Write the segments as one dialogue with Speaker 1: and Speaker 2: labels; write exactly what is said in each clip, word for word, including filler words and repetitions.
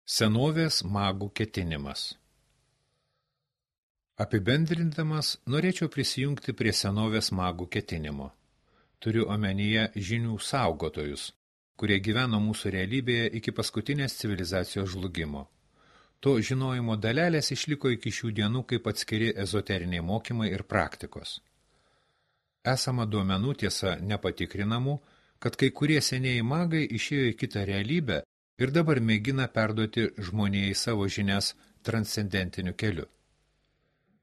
Speaker 1: Senovės magų ketinimas. Apibendrindamas, norėčiau prisijungti prie senovės magų ketinimo. Turiu omenyje žinių saugotojus, kurie gyveno mūsų realybėje iki paskutinės civilizacijos žlugimo. To žinojimo dalelės išliko iki šių dienų kaip atskiri ezoteriniai mokymai ir praktikos. Esama duomenų, tiesa nepatikrinamų, kad kai kurie senieji magai išėjo į kitą realybę ir dabar mėgina perduoti žmonijai savo žinias transcendentiniu keliu.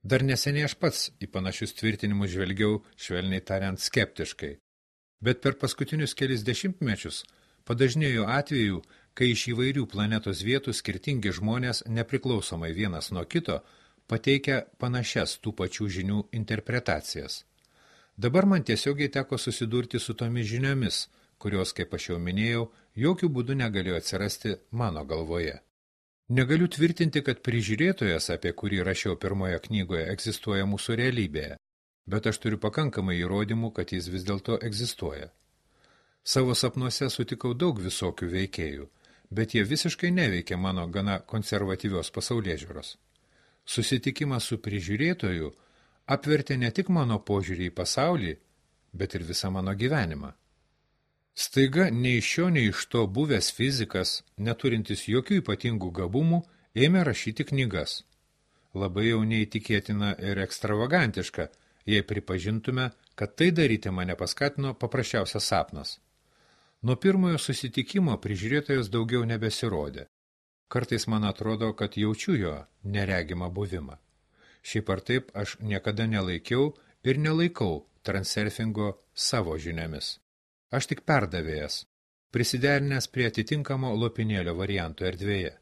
Speaker 1: Dar neseniai aš pats į panašius tvirtinimus žvelgiau, švelniai tariant, skeptiškai, bet per paskutinius kelis dešimtmečius padažnėjo atvejų, kai iš įvairių planetos vietų skirtingi žmonės, nepriklausomai vienas nuo kito, pateikia panašias tų pačių žinių interpretacijas. Dabar man tiesiogiai teko susidurti su tomis žiniomis, kurios, kaip aš jau minėjau, jokių būdų negalėjo atsirasti mano galvoje. Negaliu tvirtinti, kad prižiūrėtojas, apie kurį rašiau pirmoje knygoje, egzistuoja mūsų realybėje, bet aš turiu pakankamai įrodymų, kad jis vis dėlto egzistuoja. Savo sapnuose sutikau daug visokių veikėjų, bet jie visiškai neveikia mano gana konservatyvios pasaulėžiūros. Susitikimas su prižiūrėtoju apvertė ne tik mano požiūrį į pasaulį, bet ir visą mano gyvenimą. Staiga nei iš šio, nei iš to buvęs fizikas, neturintis jokių ypatingų gabumų, ėmė rašyti knygas. Labai jau neįtikėtina ir ekstravagantiška, jei pripažintume, kad tai daryti mane paskatino paprasčiausias sapnas. Nuo pirmojo susitikimo prižiūrėtojas daugiau nebesirodė. Kartais man atrodo, kad jaučiu jo neregimą buvimą. Šiaip ar taip aš niekada nelaikiau ir nelaikau transurfingo savo žiniomis. Aš tik perdavėjas, prisiderinęs prie atitinkamo lopinėlio varianto erdvėje.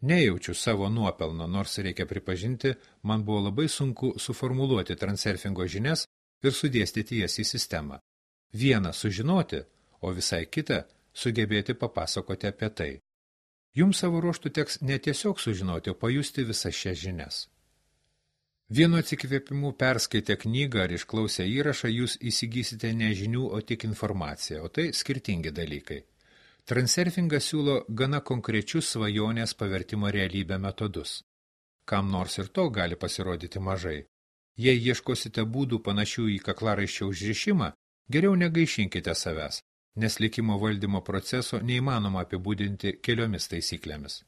Speaker 1: Nejaučiu savo nuopelno, nors reikia pripažinti, man buvo labai sunku suformuluoti transurfingo žinias ir sudėstyti jas į sistemą. Vieną sužinoti, o visai kitą sugebėti papasakoti apie tai. Jums savo ruožtų teks ne tiesiog sužinoti, o pajusti visas šias žinias. Vienu atsikvėpimu perskaitę knygą ar išklausę įrašą, jūs įsigysite ne žinių, o tik informaciją, o tai skirtingi dalykai. Transurfingas siūlo gana konkrečius svajonės pavertimo realybę metodus. Kam nors ir to gali pasirodyti mažai. Jei ieškosite būdų panašių į kaklaraiščio užrišimą, geriau negaišinkite savęs, nes likimo valdymo proceso neįmanoma apibūdinti keliomis taisyklėmis.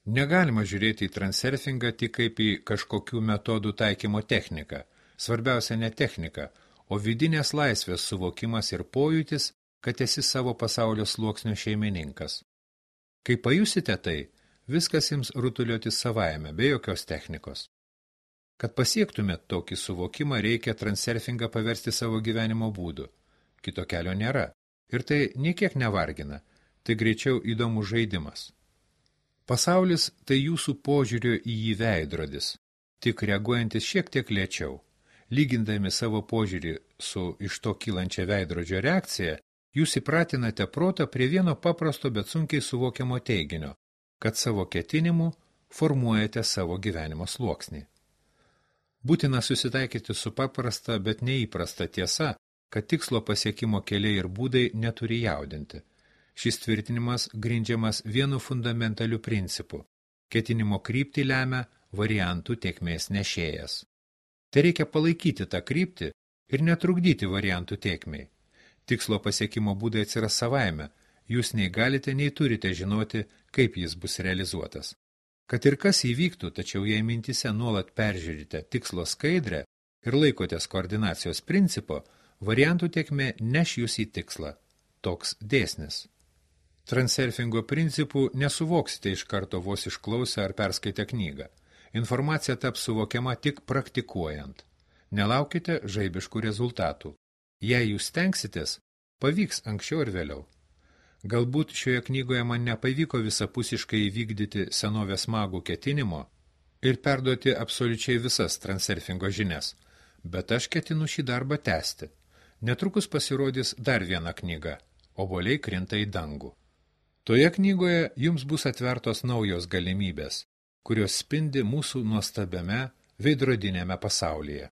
Speaker 1: Negalima žiūrėti į transurfingą tik kaip į kažkokių metodų taikymo techniką. Svarbiausia ne technika, o vidinės laisvės suvokimas ir pojūtis, kad esi savo pasaulio sluoksnio šeimininkas. Kai pajusite tai, viskas jums rutulioti savaime, be jokios technikos. Kad pasiektumėt tokį suvokimą, reikia transurfingą paversti savo gyvenimo būdu. Kito kelio nėra. Ir tai niekiek nevargina. Tai greičiau įdomus žaidimas. Pasaulis tai jūsų požiūrio į jį veidrodis, tik reaguojantis šiek tiek lėčiau. Lygindami savo požiūrį su iš to kylančia veidrodžio reakcija, jūs įpratinate protą prie vieno paprasto, bet sunkiai suvokiamo teiginio, kad savo ketinimu formuojate savo gyvenimo sluoksnį. Būtina susitaikyti su paprasta, bet neįprasta tiesa, kad tikslo pasiekimo keliai ir būdai neturi jaudinti. Šis tvirtinimas grindžiamas vienu fundamentaliu principu. Ketinimo kryptį lemia variantų tėkmės nešėjas. Tai reikia palaikyti tą kryptį ir netrukdyti variantų tėkmei. Tikslo pasiekimo būdai atsiras savaime, jūs nei galite, nei turite žinoti, kaip jis bus realizuotas. Kad ir kas įvyktų, tačiau jei mintise nuolat peržiūrite tikslo skaidrę ir laikotės koordinacijos principo, variantų tėkmė neš jūs į tikslą. Toks dėsnis. Transurfingo principų nesuvoksite iš karto vos išklausę ar perskaitę knygą. Informacija taps suvokiama tik praktikuojant. Nelaukite žaibiškų rezultatų. Jei jūs stengsitės, pavyks anksčiau ir vėliau. Galbūt šioje knygoje man nepavyko visapusiškai įvykdyti senovės magų ketinimo ir perduoti absoliučiai visas transurfingo žinias, bet aš ketinu šį darbą tęsti. Netrukus pasirodys dar viena knyga – Obuoliai krinta į dangų. Toje knygoje jums bus atvertos naujos galimybės, kurios spindi mūsų nuostabiame veidrodinėme pasaulyje.